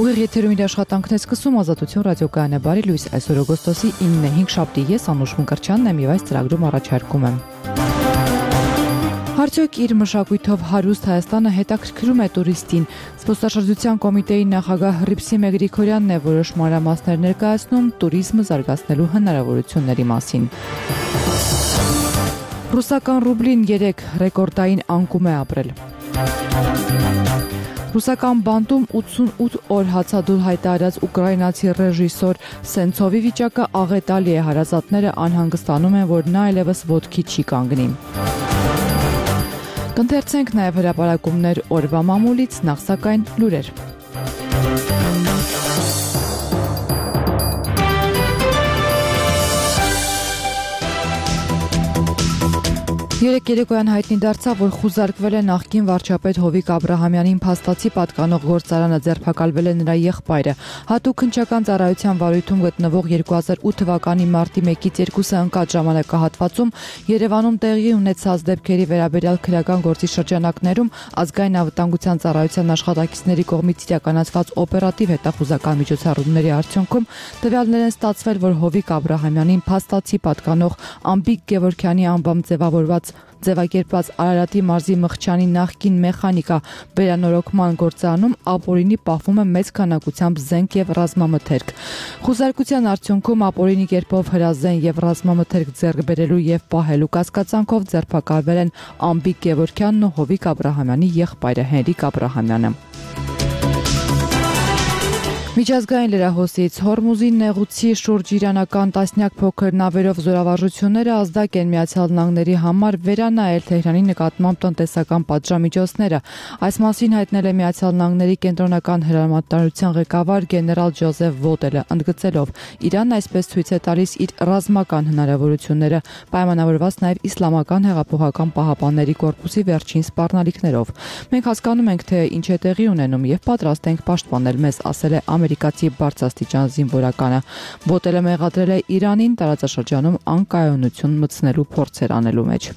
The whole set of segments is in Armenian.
Ուղիղ եթերում իր աշխատանքն է սկսում Ազատություն ռադիոկայանը բարի լույս այսօր օգոստոսի 9-ը 5 շաբթի ես Անուշ Մկրտչյանն եմ եւ այս ծրագրում առաջարկում եմ Արդյոք իր մշակույթով հարուստ Հայաստանը հետաքրքրում է տուրիստին Զբոսաշրջության կոմիտեի նախագահ Հռիփսիմ Գրիգորյանն է որոշ մանրամասներ ներկայացնում տուրիզմը զարգացնելու հնարավորությունների մասին Ռուսական ռուբլին 3 ռեկորդային անկում է ապրել Ռուսական բանտում 88 օր հացադուլ հայտարարած ուկրաինացի ռեժիսոր Սենցովի վիճակը աղետալի է հարազատները անհանգստանում են, որ նա այլևս ոտքի չի կանգնի։ Կընթերցենք նաև հրապարակումներ օրվա մամուլից, նախ սակայն լուրեր։ Երեկ երեկոյան հայտնի դարձավ, որ խուզարկվել է նախկին վարչապետ Հովիկ Աբրահամյանին փաստացի պատկանող գործարանը ձերբակալվել է նրա եղբայրը։ Հատուկ քննչական ծառայության վարույթում գտնվող 2008 թվականի մարտի 1-ից 2-ը ընկած ժամանակահատվածում Երևանում տեղի ունեցած դեպքերի վերաբերյալ քրեական գործի շրջանակներում ազգային անվտանգության ծառայության աշխատակիցների կողմից իրականացված օպերատիվ հետախուզական միջոցառումների արդյունքում տվյալներ են ստացվել, որ Հովիկ Աբրահամյանին փաստացի պատկանող Ամբիկ Գևորգյանի անվամբ ձևակերպված Արարատի մարզի Մխչյանի նախկին մեխանիկա վերանորոգման գործարանում ապօրինի պահվում է մեծ քանակությամբ զենք եւ ռազմամթերք։ Խուզարկության արդյունքում ապօրինի կերպով հրազեն եւ ռազմամթերք ձեռք բերելու եւ պահելու կասկածանքով ձերբակալվել են Ամբիկ Գևորգյանն ու Հովիկ Աբրահամյանի եղբայրը Հենրիկ Աբրահամյանը։ Միջազգային լրահոսից Հորմուզի նեղուցի շուրջ իրանական տասնյակ փոքր նավերով զորավարժությունները ազդակ են Միացյալ Նահանգների համար վերանայել Թեհրանի նկատմամբ տնտեսական պատժամիջոցները։ Այս մասին հայտնել է Միացյալ Նահանգների կենտրոնական հրամանատարության ղեկավար գեներալ Ջոզեֆ Վոտելը, ընդգծելով Իրանն այսպես ցույց է տալիս իր ռազմական հնարավորությունները, պայմանավորված նաև Իսլամական հեղափոխական պահապանների կորպուսի վերջին սպառնալիքներով։ Մենք հասկանում ենք, թե ինչ է տեղի ունենում եւ պատրաստ ենք պաշտպանել մեզ, ասել է ամերիկացի բարձրաստիճան զինվորականը։ Վոտելը մեղադրել է Իրանին տարածաշրջանում անկայունություն մտցնելու փորձեր անելու մեջ։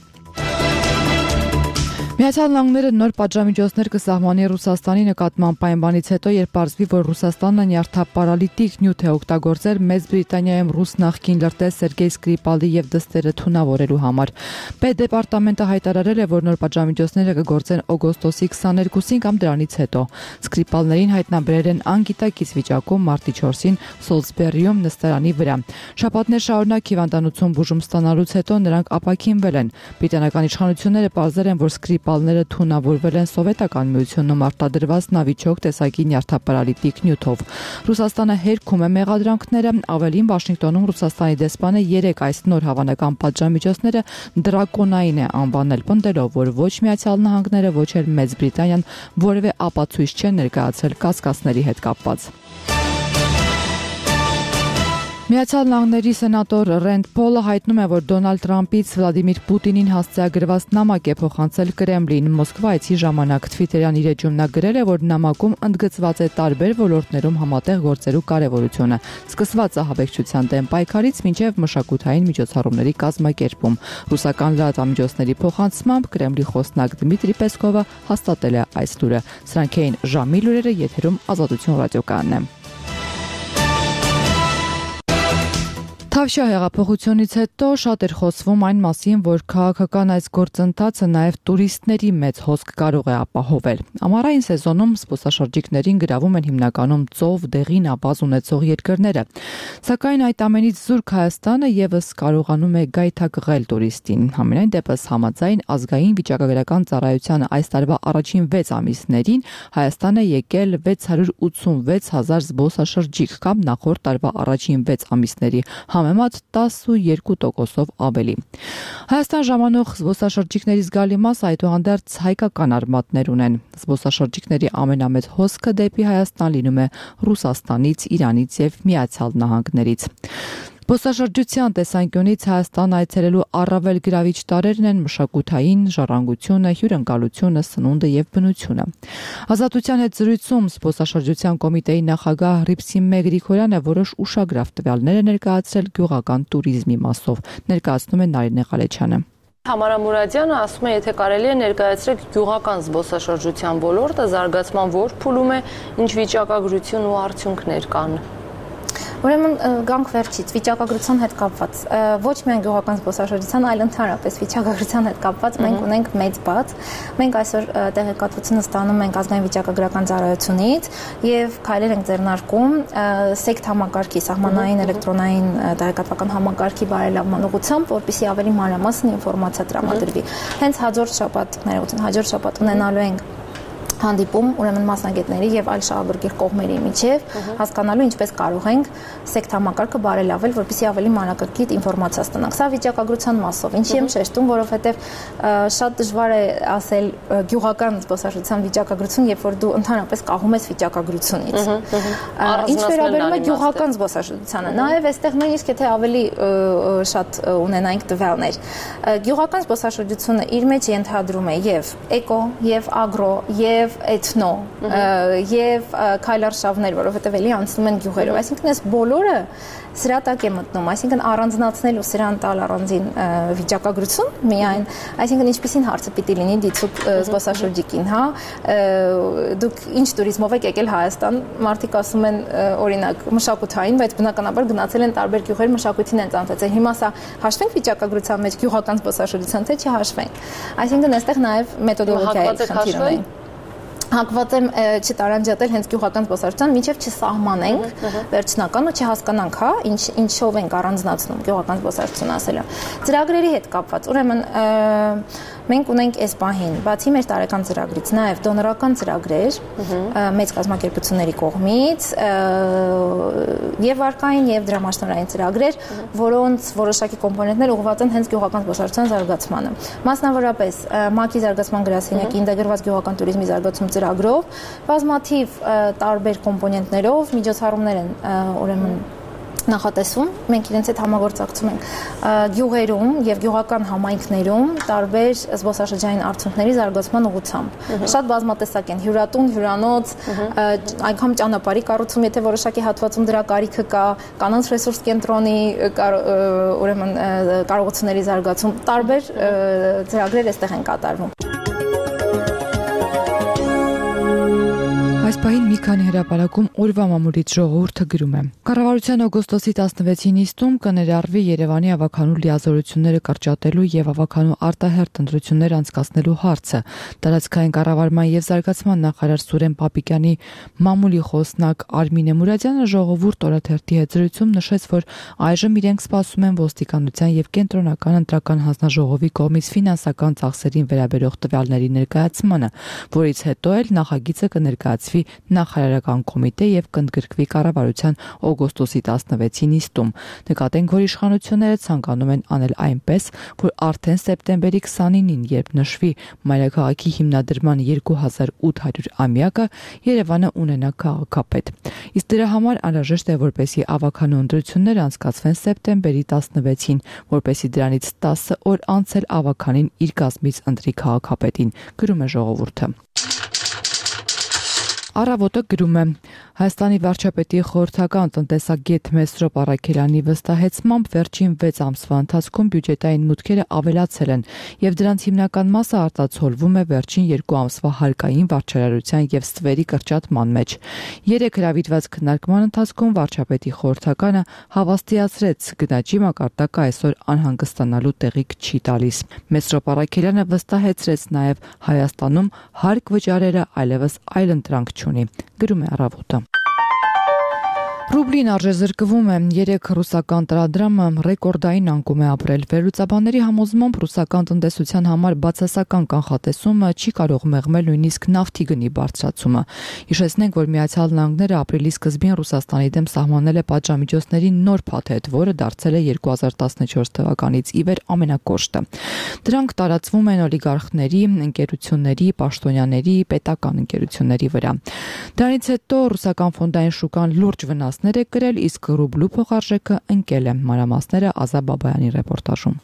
Միացյալ Նահանգները նոր պատժամիջոցներ կսահմանի Ռուսաստանի նկատմամբ պայմանից հետո, երբ պարզվի, որ Ռուսաստանը նյարդապարալիտիկ նյութ է օգտագործել Մեծ Բրիտանիայում ռուս նախկին լրտես Սերգեյ Սկրիպալի եւ դստերը թունավորելու համար։ Պետդեպարտամենտը հայտարարել է, որ նոր պատժամիջոցները կգործեն օգոստոսի 22-ին կամ դրանից հետո։ Սկրիպալներին հայտնաբերել են անգիտակից վիճակում մարտի 4-ին Սոլսբերիում նստարանի վրա։ Շաբաթներ շարունակ հիվանդանոցում բուժում ստանալուց հետո նրանք ապաքինվել են։ Բրիտանական իշխանությունները պարզել են, որ Սկրիպալները թունավորվել են Սովետական Միությունում արտադրված նավիճոկ տեսակի նյարդապարալիտիկ նյութով։ Ռուսաստանը հերքում է մեղադրանքները, ավելին Վաշինգտոնում Ռուսաստանի դեսպանը 3 այս նոր հավանական պատժամիջոցները դրակոնային է անվանել, պնդելով, որ ոչ Միացյալ Նահանգները, ոչ էլ Մեծ Բրիտանիան որևէ ապացույց չեն ներկայացրել կասկածների հետ կապված։ Միացյալ Նահանգների սենատոր Ռենդ Փոլը հայտնում է, որ Դոնալդ Թրամփից Վլադիմիր Պուտինին հասցեագրված նամակ է փոխանցել Կրեմլին։ Մոսկվայցի ժամանակ Թվիտերյան իր էջում նա գրել է, որ նամակում ընդգծված է տարբեր ոլորտներում համատեղ գործելու կարևորությունը, սկսված ահաբեկչության դեմ պայքարից մինչև մշակութային միջոցառումների կազմակերպում։ Ռուսական լրատվամիջոցների փոխանցմամբ Կրեմլի խոսնակ Դմիտրի Պեսկովը հաստատել է այս լուրը։ Սրանք էին ժամի լուրերը, եթերում Ազատություն ռադիոկայանն է։ Թավշյա հեղափոխությունից հետո շատ էր խոսվում այն մասին, որ քաղաքական այս գործընթացը նաև տուրիստների մեծ հոսք կարող է ապահովել։ Ամառային սեզոնում զբոսաշրջիկներին գրավում են հիմնականում ծով, դեղին ավազ ունեցող երկրները։ Սակայն այդ ամենից զուրկ Հայաստանը եւս կարողանում է գայթակղել տուրիստին։ Համենայն դեպս համաձայն ազգային վիճակագրական ծառայության այս տարվա առաջին 6 ամիսներին Հայաստան է եկել 686,000 զբոսաշրջիկ կամ նախորդ տարվա առաջին 6 ամիսների համեմատ 12%-ով ավելի։ Հայաստան ժամանող զբոսաշրջիկների զգալի մասը այդուհանդերձ հայկական արմատներ ունեն։ Զբոսաշրջիկների ամենամեծ հոսքը դեպի Հայաստան լինում է Ռուսաստանից, Իրանից եւ Միացյալ Նահանգներից։ Զբոսաշրջության տեսանկյունից Հայաստան այցելելու առավել գրավիչ տարրերն են մշակութային, ժառանգությունը, հյուրընկալությունը, սնունդը եւ բնությունը։ Ազատության հետ զրույցում զբոսաշրջության կոմիտեի նախագահ Հռիփսիմ Գրիգորյանը որոշ ուշագրավ տվյալներ է ներկայացրել գյուղական туриզմի մասով, ներկայացնում է Նարինե Ղալեչյանը։ Համարա Մուրադյանը ասում է, եթե կարելի է ներկայացրեք գյուղական զբոսաշրջության ոլորտը, զարգացման որ փուլում է, ինչ վիճակագրություն ու արդյունքներ կան։ Ուրեմն գանք վերջից վիճակագրության հետ կապված ոչ միայն գյուղական զբոսաշրջության, այլ ընդհանրապես վիճակագրության հետ կապված մենք ունենք մեծ բաց։ Մենք այսօր տեղեկատվությունը ստանում ենք ազգային վիճակագրական ծառայությունից եւ քայլեր ենք ձեռնարկում սեկտ համակարգի, սահմանային էլեկտրոնային տեղեկատվական համակարգի բարելավման ուղղությամբ, որպեսզի ավելի մանրամասն ինֆորմացիա տրամադրվի։ Հենց հաջորդ շաբաթ ունենալու ենք հանդիպում ուրեմն մասնագետների եւ այլ շահագրգիռ կողմերի միջև հասկանալու ինչպես կարող ենք սեկտ համակարգը բարելավել, որպեսզի ավելի մանրակրկիտ ինֆորմացիա ստանանք։ Սա վիճակագրության մասով։ Ինչի եմ շեշտում, որովհետեւ շատ դժվար է ասել գյուղական զբոսաշրջության վիճակագրություն, երբ որ դու ընդհանրապես կախում ես վիճակագրությունից։ Ինչ վերաբերում է գյուղական զբոսաշրջությանը, նաեւ այստեղ նույնիսկ եթե ավելի շատ ունենայինք տվյալներ։ Գյուղական զբոսաշրջությունը իր մեջ ենթադրում է եւ էկո, եւ ագրո, եւ էթնո եւ քայլարշավներ, որովհետեւ էլի անցնում են գյուղերով, այսինքն այս բոլորը սրա տակ է մտնում, այսինքն առանձնացնել ու սրան տալ առանձին վիճակագրություն միայն, այսինքն ինչպիսին հարցը պիտի լինի դիցուկ զբոսաշրջիկին, հա, դուք ինչ տուրիզմով եք եկել Հայաստան, մարդիկ ասում են օրինակ մշակութային, բայց բնականաբար գնացել են տարբեր գյուղեր մշակույթին են ծանոթացել։ Հիմա սա հաշվենք վիճակագրության մեջ գյուղական զբոսաշրջության, թե չհաշվենք։ Այսինքն այստեղ նաև մեթոդոլոգիայի խնդիր ունի։ Հակված եմ չտարանջատել հենց գյուղական զբոսաշրջության, մինչև չսահմանենք վերջնական ու չհասկանանք, հա, ինչով ենք առանձնացնում գյուղական զբոսաշրջությունը ասելը։ Ծրագրերի հետ կապված, ուրեմն մենք ունենք այս պահին, բացի մեր տարեկան ծրագրից, նաև դոնորական ծրագրեր մեծ կազմակերպությունների կողմից եւ վարկային եւ դրամաշնորհային ծրագրեր, որոնց որոշակի կոմպոնենտներ ուղղված են հենց գյուղական զբոսաշրջության զարգացմանը։ Մասնավորապես ՄԱԿ-ի զարգացման գրասենյակի ինտեգրված գյուղական туриզմի զարգացում ծրագրով բազմաթիվ տարբեր կոմպոնենտներով միջոցառումներ են ուրեմն նախատեսում, մենք իրենց հետ համագործակցում ենք գյուղերում եւ գյուղական համայնքներում տարբեր զբոսաշրջային արդյունքների զարգացման ուղղությամբ։ Շատ բազմատեսակ են՝ հյուրատուն, հյուրանոց, անգամ ճանապարհի կառուցում, եթե որոշակի հատվածում դրա կարիքը կա, կանանց ռեսուրս կենտրոնի ուրեմն կարողությունների զարգացում, տարբեր ծրագրեր այստեղ են կատարվում։ Այս պահին մի քանի հրապարակում օրվա մամուլից ժողովուրդը գրում է. Կառավարության օգոստոսի 16-ին նիստում կներառվի Երևանի ավագանու լիազորությունները կրճատելու եւ ավագանու արտահերթ ընտրություններ անցկացնելու հարցը։ Տարածքային կառավարման եւ զարգացման նախարար Սուրեն Պապիկյանի մամուլի խոսնակ Արմինե Մուրադյանը ժողովուրդ օրաթերթի հետ զրույցում նշեց, որ այժմ իրենք սպասում են ոստիկանության եւ կենտրոնական ընտրական հանձնաժողովի կողմից ֆինանսական ծախսերին վերաբերող տվյալների ներկայացմանը, որից հետո էլ նախագիծը կներկայացվի նախարարական կոմիտե եւ կընդգրկվի կառավարության օգոստոսի 16-ի նիստում։ Նկատենք, որ իշխանությունները ցանկանում են անել այնպես, որ արդեն սեպտեմբերի 29-ին, երբ նշվի մայրաքաղաքի հիմնադրման 2800-ամյակը, Երևանը ունենա քաղաքապետ։ Իսկ դրա համար անհրաժեշտ է, որպեսզի ավագանու ընտրությունները անցկացվեն սեպտեմբերի 16-ին, որպեսզի դրանից 10 օր անց էլ ավագանին իր կազմից ընտրի քաղաքապետին, գրում է ժողովուրդը։ Առավոտը գրում է. Հայաստանի վարչապետի խորհրդական տնտեսագետ Մեսրոպ Առաքելյանի վստահեցմամբ վերջին 6 ամսվա ընթացքում բյուջետային մուտքերը ավելացել են եւ դրանց հիմնական մասը արտացոլվում է վերջին 2 ամսվա հարկային վարչարարության եւ ստվերի կրճատման մեջ։ 3 հրավիրված քննարկման ընթացքում վարչապետի խորհրդականը հավաստիացրեց գնաճի մակարդակը այսօր անհանգստանալու տեղիք չի տալիս։ Մեսրոպ Առաքելյանը վստահեցրեց նաեւ Հայաստանում հարկ վճարերը այլևս այլ ընտրանք չունի, գրում է Առավոտը։ Ռուբլին արժեզրկվում է, 3 ռուսական տրադրամը ռեկորդային անկում է ապրել։ Վերլուծաբանների համոզմամբ ռուսական տնտեսության համար բացասական կանխատեսումը չի կարող մեղմել նույնիսկ նավթի գնի բարձրացումը։ Հիշեցնենք, որ Միացյալ Նահանգները ապրիլի սկզբին Ռուսաստանի դեմ սահմանել է պատժամիջոցների նոր փաթեթ, որը դարձել է 2014 թվականից ի վեր ամենակոշտը։ Դրանք տարածվում են օլիգարխների, ընկերությունների, պաշտոնյաների, պետական ընկերությունների վրա։ Դրանից հետո ռուսական ֆոնդային շուկան լուրջ վնասներ է կրել, իսկ ռուբլու փոխարժեքը ընկել է։ Մանրամասները Ազա Բաբայանի ռեպորտաժում։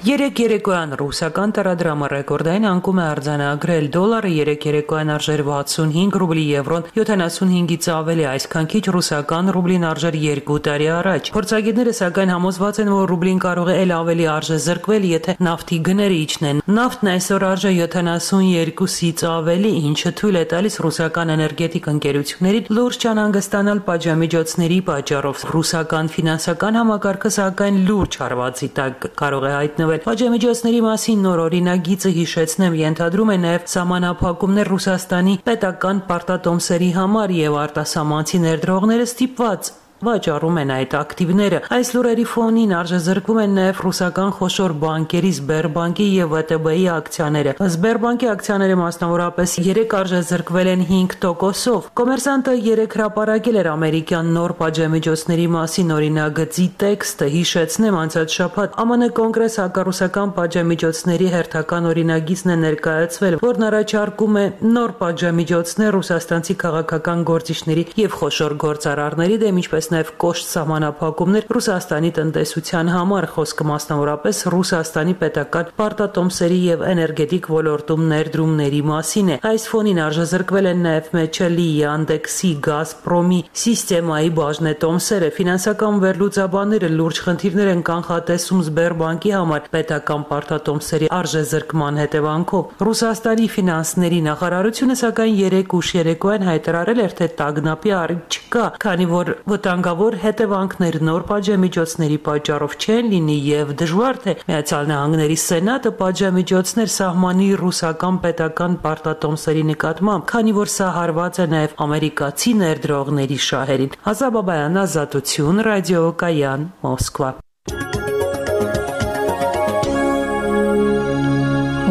Երեք երեկոյան ռուսական տարադրամը ռեկորդային անկում է արձանագրել դոլարը 3 երեկոյան արժեր 65 ռուբլի, եվրոն 75-ից ավելի, այսքան քիչ ռուսական ռուբլին արժեր 2 տարի առաջ։ Փորձագետները սակայն համոզված են, որ ռուբլին կարող է ավելի արժե զրկվել, եթե նավթի գները իջնեն։ Նավթն այսօր արժե 72-ից ավելի, ինչը թույլ է տալիս ռուսական էներգետիկ ընկերություններին լուրջ չանհանգստանալ պատժամիջոցների պատճառով։ Ռուսական ֆինանսական համակարգը սակայն լուրջ հարվածի տակ կարող է հայտնվել։ Պատժամիջոցների մասին նոր օրինագիծը հիշեցնեմ ենթադրում է նաև սահմանափակումներ Ռուսաստանի պետական պարտատոմսերի համար եւ արտասահմանցի ներդրողները ստիպված վաճառում են այդ ակտիվները։ Այս լուրերի ֆոնին արժեզրկվում են նաև ռուսական խոշոր բանկերի Սբերբանկի եւ ՎՏԲ-ի ակցիաները։ Սբերբանկի ակցիաները մասնավորապես 3 արժեզրկվել են 5%-ով։ Կոմերսանտը 3 հրապարակել էր ամերիկյան նոր պատժամիջոցների մասին օրինագծի տեքստը, հիշեցնեմ անցած շաբաթ ԱՄՆ կոնգրես հակառուսական պատժամիջոցների հերթական օրինագիծն է ներկայացվել, որն առաջարկում է նոր պատժամիջոցներ ռուսաստանցի քաղաքական գործիչների եւ խոշոր գործարարների դեմ, ինչպես նաև կոշտ սահմանափակումներ Ռուսաստանի տնտեսության համար, խոսքը մասնավորապես Ռուսաստանի պետական պարտատոմսերի եւ էներգետիկ ոլորտում ներդրումների մասին է։ Այս ֆոնին արժեզրկվել են նաև Մեչելի, Yandex-ի, Gazprom-ի սիստեմայի բաժնետոմսերը։ Ֆինանսական վերլուծաբանները լուրջ խնդիրներ են կանխատեսում Սբերբանկի համար պետական պարտատոմսերի արժեզրկման հետևանքով։ Ռուսաստանի ֆինանսների նախարարությունը սակայն 3 ուշ երեկոյան հայտարարել էր, թե տագնապի առիթ չկա, քանի որ վտանգավոր հետևանքներ նոր պատժամիջոցների պատճառով չեն լինի եւ դժվար թե Միացյալ Նահանգների Սենատը պատժամիջոցներ սահմանի ռուսական պետական պարտատոմսերի նկատմամբ, քանի որ սա հարված է նաեւ ամերիկացի ներդրողների շահերին։ Ազաբաբայան, Ազատություն, Ռադիոկայան, Մոսկվա։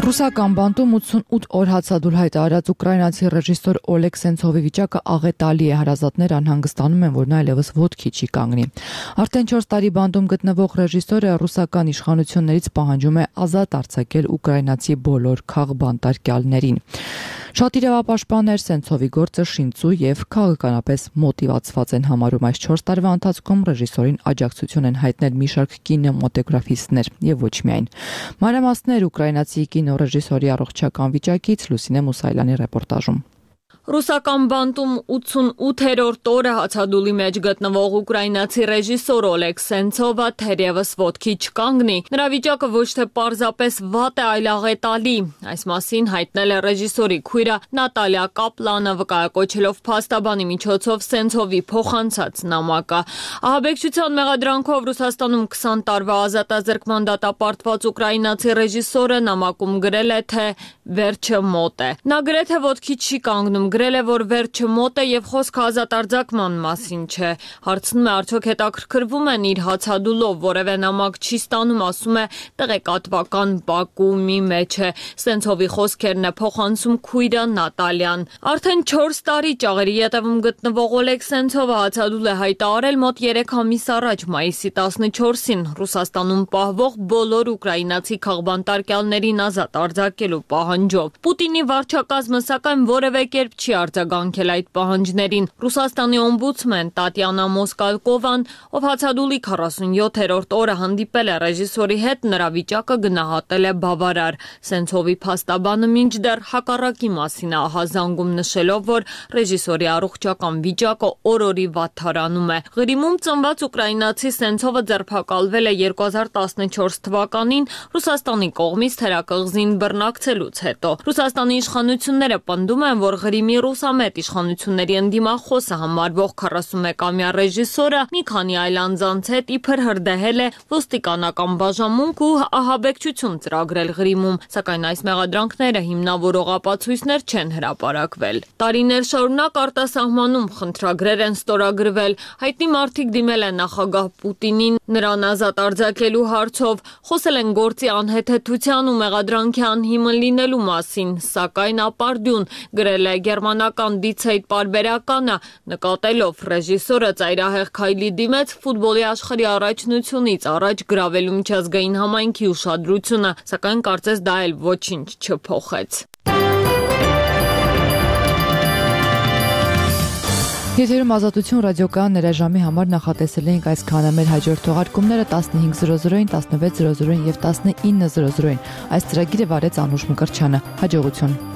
Ռուսական բանտում 88 օր հացադուլ հայտարարած ուկրաինացի ռեժիսոր Օլեգ Սենցովի վիճակը աղետալի է։ Հարազատներ անհանգստանում են, որ նա այլևս ոտքի չի կանգնի։ Արդեն 4 տարի բանտում գտնվող ռեժիսորը ռուսական իշխանություններից պահանջում է ազատ արձակել ուկրաինացի բոլոր քաղբանտարկյալներին։ Շատ իրավապաշտպաններ Սենցովի գործը շինծու եւ քաղաքականապես մոտիվացված են համարում։ Այս 4 տարվա ընթացքում ռեժիսորին աջակցություն են հայտնել մի շարք կինեմատոգրաֆիստներ եւ ոչ միայն։ Մանրամասներ ուկրաինացի կինոռեժիսորի առողջական վիճակից Լուսինե Մուսայելյանի ռեպորտաժում։ Ռուսական բանտում 88-րդ օրը հացադուլի մեջ գտնվող ուկրաինացի ռեժիսոր Օլեգ Սենցովը թերևս ոտքի չկանգնի։ Նրա վիճակը ոչ թե պարզապես վատ է, այլ աղետալի։ Այս մասին հայտնել է ռեժիսորի քույրը Նատալիա Կապլանը, վկայակոչելով փաստաբանի միջոցով Սենցովի փոխանցած նամակը։ Ահաբեկչության մեղադրանքով Ռուսաստանում 20 տարվա ազատազրկման դատապարտված ուկրաինացի ռեժիսորը նամակում գրել է, թե վերջը մոտ է։ Նա գրեթե ոտքի չի կանգնում, գրել է, որ վերջը մոտ է եւ խոսքը ազատ արձակման մասին չէ։ Հարցնում է, արդյոք հետաքրքրվում են իր հացադուլով, որևէ նամակ չի ստանում, ասում է, տեղեկատվական բակումի մեջ է։ Սենցովի խոսքերն է փոխանցում քույրը Նատալիան։ Արդեն 4 տարի ճաղերի ետևում գտնվող Օլեգ Սենցովը հացադուլ է հայտարարել մոտ 3 ամիս առաջ, մայիսի 14-ին, Ռուսաստանում պահվող բոլոր ուկրաինացի քաղբանտարկյալներին ազատ արձակելու պահանջով։ Պուտինի վարչակազմը սակայն որևէ կերպ չի արձագանքել այդ պահանջներին։ Ռուսաստանի օմբուդսմեն Տատյանա Մոսկալկովան, ով հացադուլի 47-րդ օրը հանդիպել է ռեժիսորի հետ, նրա վիճակը գնահատել է բավարար։ Սենցովի փաստաբանը մինչդեռ հակառակի մասին է ահազանգում, նշելով, որ ռեժիսորի առողջական վիճակը օր-օրի վատթարանում է։ Ղրիմում ծնված ուկրաինացի Սենցովը ձերբակալվել է 2014 թվականին Ռուսաստանի կողմից թերակղզին բռնակցելուց հետո։ Ռուսաստանի իշխանությունները պնդում են, որ Ղրիմի ռուսամետ իշխանությունների ընդդիմախոսը համարվող 41-ամյա ռեժիսորը մի քանի այլ անձանց հետ իբր հրդեհել է ոստիկանական բաժանմունք ու ահաբեկչություն ծրագրել Ղրիմում, սակայն այս մեղադրանքները հիմնավորող ապացույցներ չեն հրապարակվել։ Տարիներ շարունակ արտասահմանում խնդրագրեր են ստորագրվել, հայտնի մարդիկ դիմել են նախագահ Պուտինին նրան ազատ արձակելու հարցով, խոսել են գործի անհեթեթության ու մեղադրանքի անհիմն լինելու մասին, սակայն ապարդյուն գրել է գերմանական Die Zeit պարբերականը, նկատելով ռեժիսորը ծայրահեղ քայլի դիմեց ֆուտբոլի աշխարհի առաջնությունից առաջ գրավելու միջազգային համայնքի ուշադրությունը, սակայն կարծես դա էլ ոչինչ չփոխեց։ Եթերում Ազատություն ռադիոկայան ներաժամի համար նախատեսել էինք այսքանը։ Մեր հաջորդ թողարկումները 15:00-ին, 16:00-ին եւ 19:00-ին։ Այս ծրագիրը վարեց Անուշ Մկրտչյանը։ Հաջողություն։